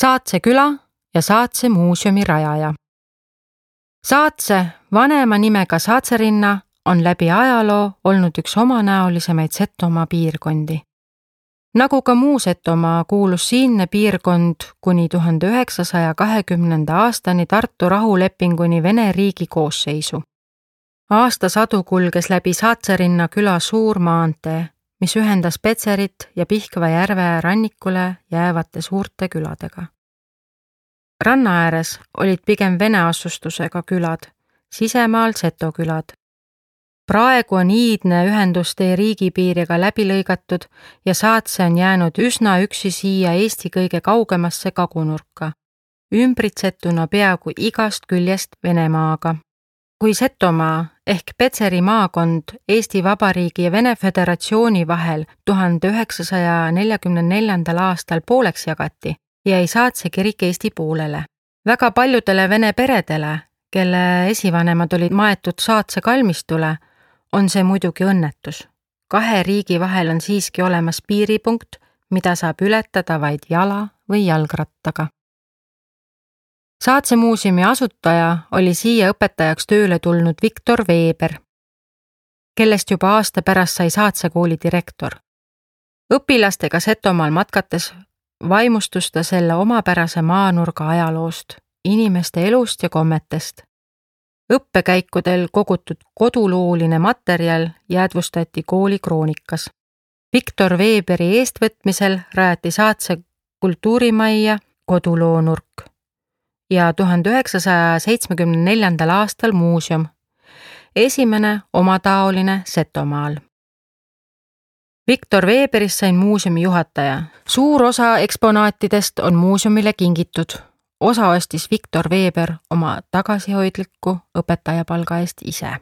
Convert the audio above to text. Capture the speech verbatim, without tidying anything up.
Saatse küla ja Saatse muuseumi rajaja. Saatse, vanema nimega Saatserinna, on läbi ajaloo olnud üks omanäolisemaid Setomaa piirkondi. Nagu ka muu Setomaa kuulus siinne piirkond kuni tuhande üheksasaja kahekümnenda aastani Tartu rahulepinguni Vene riigi koosseisu. Aastasadu kulges läbi Saatserinna küla suur maantee, mis ühendas Petserit ja Pihkva järve rannikule jäävate suurte küladega. Ranna ääres olid pigem vene asustusega külad, sisemaal Seto külad. Praegu on iidne ühendustee riigipiiriga läbi lõigatud ja Saatse on jäänud üsna üksi siia Eesti kõige kaugemasse kagunurka, ümbritsetuna peaaegu igast küljest Venemaaga. Kui Setomaa ehk Petseri maakond Eesti Vabariigi ja Vene Föderatsiooni vahel tuhande üheksasaja neljakümne neljandal aastal pooleks jagati, jäi Saatse kirik Eesti poolele. Väga paljudele vene peredele, kelle esivanemad olid maetud Saatse kalmistule, on see muidugi õnnetus. Kahe riigi vahel on siiski olemas piiripunkt, mida saab ületada vaid jala või jalgrattaga. Saatse muuseumi asutaja oli siia õpetajaks tööle tulnud Viktor Veeber, kellest juba aasta pärast sai Saatse kooli direktor. Õpilastega Setomaal matkates vaimustus ta selle omapärase maanurga ajaloost, inimeste elust ja kommetest. Õppekäikudel kogutud kodulooline materjal jäädvustati kooli kroonikas. Viktor Veeberi eestvõtmisel rajati Saatse kultuurimajja koduloonurk ja tuhande üheksasaja seitsmekümne neljandal aastal muuseum, esimene omataoline Setomaal. Viktor Veeberist sain muuseumi juhataja. Suur osa eksponaatidest on muuseumile kingitud. Osa ostis Viktor Veeber oma tagasihoidliku õpetajapalga eest ise.